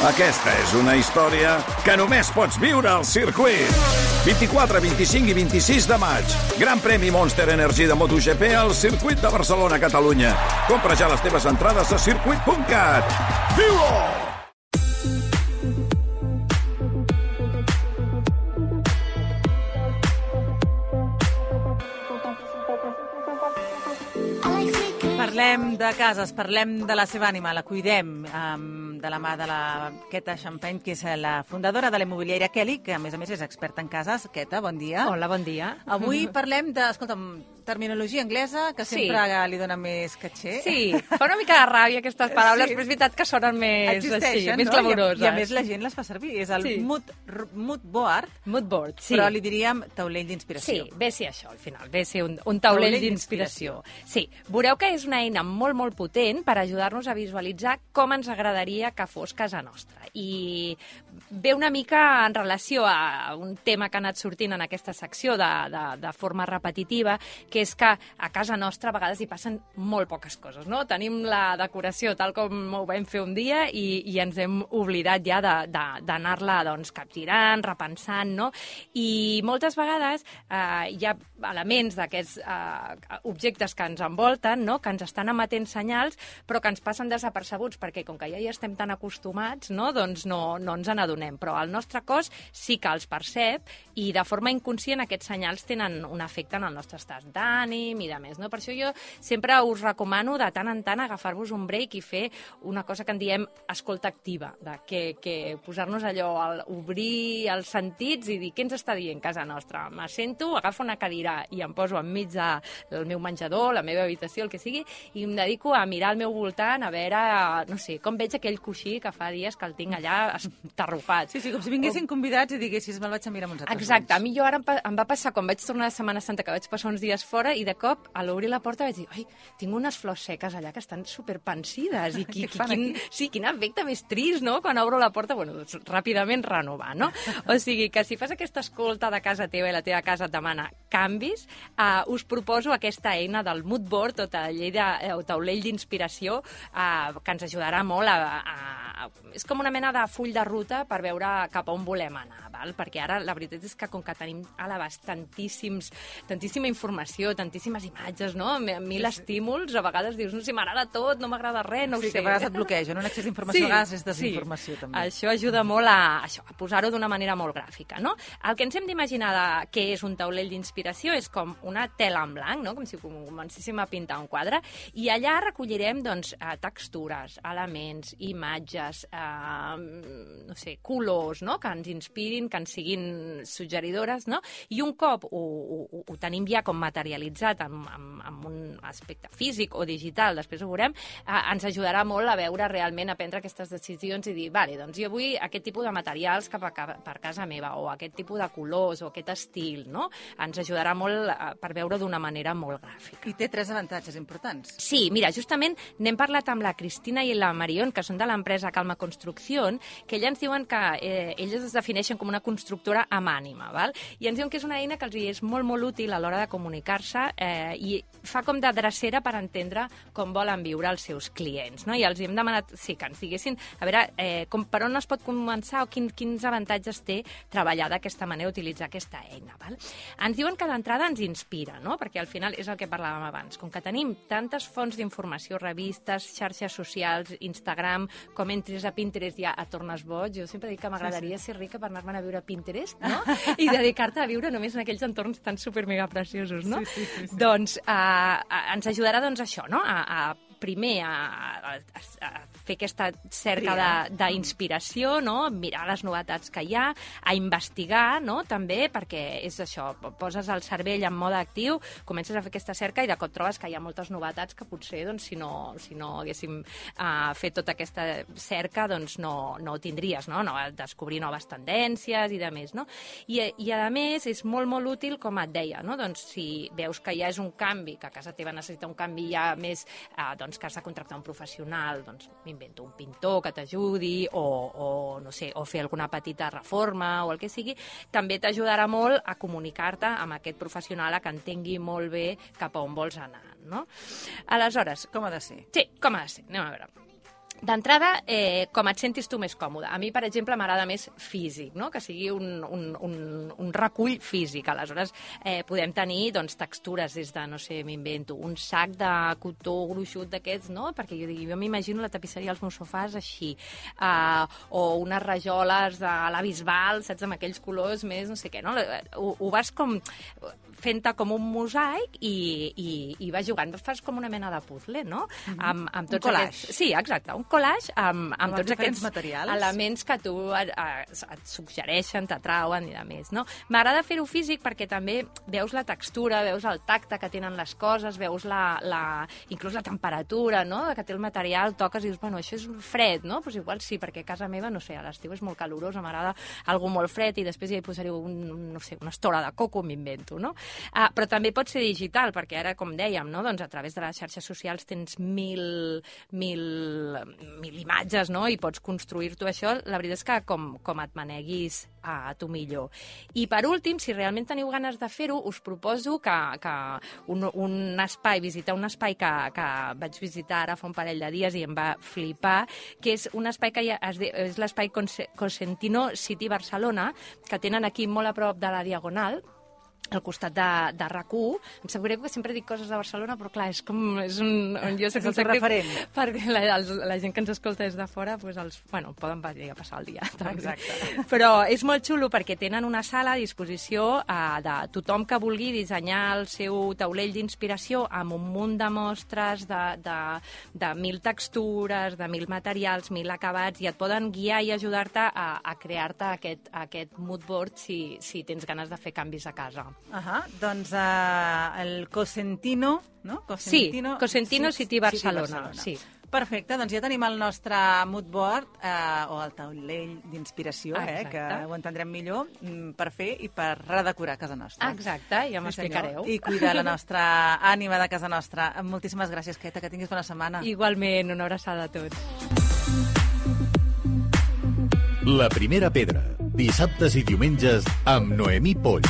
Aquesta és una història que només pots viure al circuit. 24, 25 i 26 de maig. Gran premi Monster Energy de MotoGP al circuit de Barcelona, Catalunya. Compra ja les teves entrades a circuit.cat. Viu-ho! Parlem de cases, parlem de la seva ànima, la cuidem de la mà de la Queta Champagne, que és la fundadora de la immobiliària Kelly, que a més és experta en cases. Queta, bon dia. Hola, bon dia. Avui parlem de, escolta'm, terminologia anglesa, que sempre li dona més caché. Sí, fa una mica de ràbia aquestes paraules, però és veritat que sonen més així, més clamoroses. I a més la gent les fa servir. És el mood board. Mood board, sí. Però li diríem taulell d'inspiració. Sí, ve ser això, al final. Ve ser un taulell d'inspiració. Sí, veureu que és una eina molt, molt potent per ajudar-nos a visualitzar com ens agradaria que fos casa nostra. I ve una mica en relació a un tema que ha anat sortint en aquesta secció de forma repetitiva, que és que a casa nostra a vegades hi passen molt poques coses, no? Tenim la decoració tal com ho vam fer un dia i ens hem oblidat ja d'anar-la capgirant, repensant, no? I moltes vegades hi ha elements d'aquests objectes que ens envolten, no? Que ens estan emetent senyals, però que ens passen desapercebuts, perquè com que ja hi estem tan acostumats, no? Doncs no ens n'adonem. Però el nostre cos sí que els percep i de forma inconscient aquests senyals tenen un efecte en el nostre estat d'ànim i de més, no? Per això jo sempre us recomano de tant en tant agafar-vos un break i fer una cosa que en diem escolta activa, que posar-nos allò, obrir els sentits i dir què ens està dient casa nostra. M'assento, agafo una cadira i em poso enmig del meu menjador, la meva habitació, el que sigui, i em dedico a mirar al meu voltant, a veure, no sé, com veig aquell coixí que fa dies que el tinc allà estarrufat. Sí, com si vinguessin convidats i diguessis me'l vaig a mirar amb uns altres ulls. Exacte, a mi jo ara em va passar quan vaig tornar de Setmana Santa, que vaig passar uns dies fora, i de cop, a l'obrir la porta vaig dir, ai, tinc unes flors seques allà que estan superpensides, i quin efecte més trist, no?, quan obro la porta, bueno, doncs ràpidament renovar, no? O sigui, que si fas aquesta escolta de casa teva i la teva casa et demana canvis, us proposo aquesta eina del mood board o taulell d'inspiració que ens ajudarà molt és com una mena de full de ruta per veure cap a on volem anar, val? Perquè ara la veritat és que com que tenim a l'abast tantíssima informació, tantíssimes imatges, no? Mil estímuls, a vegades dius, no sé, m'agrada tot, no m'agrada res, no ho sé. Sí, que a vegades et bloqueja, no? Un excés d'informació, a vegades és desinformació, també. Això ajuda molt a posar-ho d'una manera molt gràfica, no? El que ens hem d'imaginar què és un taulell d'inspiració és com una tela en blanc, no? Com si comencéssim a pintar un quadre, i allà recollirem, doncs, textures, elements, imatges, no sé, colors, no?, que ens inspirin, que ens siguin suggeridores, no? I un cop ho tenim ja com materialitzat amb un aspecte físic o digital, després ho veurem, ens ajudarà molt a veure realment, a prendre aquestes decisions i dir, vale, doncs jo vull aquest tipus de materials per casa meva, o aquest tipus de colors, o aquest estil, no? Ens ajudarà molt per veure d'una manera molt gràfica. I té 3 avantatges importants. Sí, mira, justament n'hem parlat amb la Cristina i la Marion, que són de l'empresa Calma Construcción, que elles ens diuen que elles es defineixen com una constructora amb ànima, val? I ens diuen que és una eina que els és molt, molt útil a l'hora de comunicar-se i fa com de drecera per entendre com volen viure els seus clients, no? I els hem demanat, sí, que ens diguessin, a veure, per on es pot començar o quins avantatges té treballar d'aquesta manera, utilitzar aquesta eina, val? Ens diuen que d'entrada ens inspira, no? Perquè al final és el que parlàvem abans, com que tenim tantes fonts d'informació, revistes, xarxes socials, Instagram, com entris a Pinterest ja et tornes boig. Jo sempre dic que m'agradaria ser rica per anar-me'n a viure a Pinterest, no? I dedicar-te a viure només en aquells entorns tan supermegapreciosos, no? Sí. Doncs ens ajudarà, doncs, això, no? Primer a fer aquesta cerca d'inspiració, no? Mirar les novetats que hi ha, a investigar, no? També, perquè és això, poses el cervell en mode actiu, comences a fer aquesta cerca i de cop trobes que hi ha moltes novetats que potser, doncs, si no haguéssim fet tota aquesta cerca, doncs no ho tindries, no? Descobrir noves tendències i de més, no? I a més és molt, molt útil, com et deia, no? Doncs si veus que ja és un canvi, que a casa teva necessita un canvi ja més, doncs, que has de contractar un professional, doncs m'invento un pintor que t'ajudi o no sé, o fer alguna petita reforma o el que sigui, també t'ajudarà molt a comunicar-te amb aquest professional, a que entengui molt bé cap a on vols anar, no? Aleshores... Com ha de ser? Sí, com ha de ser. Anem a veure. D'entrada, com et sentis tu més còmode. A mi, per exemple, m'agrada més físic, no? Que sigui un recull físic. Aleshores, podem tenir doncs, textures des de, no sé, m'invento, un sac de cotó gruixut d'aquests, no? Perquè jo m'imagino la tapisseria dels meus sofàs així. O unes rajoles de la Bisbal, saps, amb aquells colors més, no sé què, no? Ho vas com fent-te com un mosaic i vas jugant. Fas com una mena de puzzle, no? Amb tots collage. aquests... Sí, exacte, un collage amb tots aquests materials, elements que tu et suggereixen, t'atrauen i de més, no? M'agrada fer-ho físic perquè també veus la textura, veus el tacte que tenen les coses, veus inclús la temperatura, no?, que té el material, toques i dius, bueno, això és fred, no? Pues igual sí, perquè a casa meva, no sé, a l'estiu és molt calorosa, m'agrada algo molt fred i després ja hi posaré no sé, una estora de coco, m'invento, no? Però també pot ser digital, perquè ara, com dèiem, no?, doncs a través de les xarxes socials tens mil imatges, no?, i pots construir-t'ho això. La veritat és que com et maneguis a tu millor. I per últim, si realment teniu ganes de fer-ho, us proposo que visitar un espai que vaig visitar ara fa un parell de dies i em va flipar, que és un espai que és l'espai Cosentino City Barcelona, que tenen aquí molt a prop de la Diagonal, al costat de RAC1. Em sap greu que sempre dic coses de Barcelona, però clar, és un jo sé que el teu referent. Perquè la gent que ens escolta des de fora poden venir a passar el dia. Exacte. Però és molt xulo perquè tenen una sala a disposició de tothom que vulgui dissenyar el seu taulell d'inspiració amb un munt de mostres de 1000 textures, de 1000 materials, 1000 acabats, i et poden guiar i ajudar-te a crear-te aquest mood board si tens ganes de fer canvis a casa. Doncs el Cosentino, no? Cosentino City Barcelona. Sí. Perfecte, doncs ja tenim el nostre mood board, o el taulell d'inspiració, que ho entendrem millor, per fer i per redecorar casa nostra. Exacte, ja m'explicareu. I cuidar la nostra ànima de casa nostra. Moltíssimes gràcies, Queta, que tinguis bona setmana. Igualment, una abraçada a tots. La primera pedra, dissabtes i diumenges amb Noemí Polls.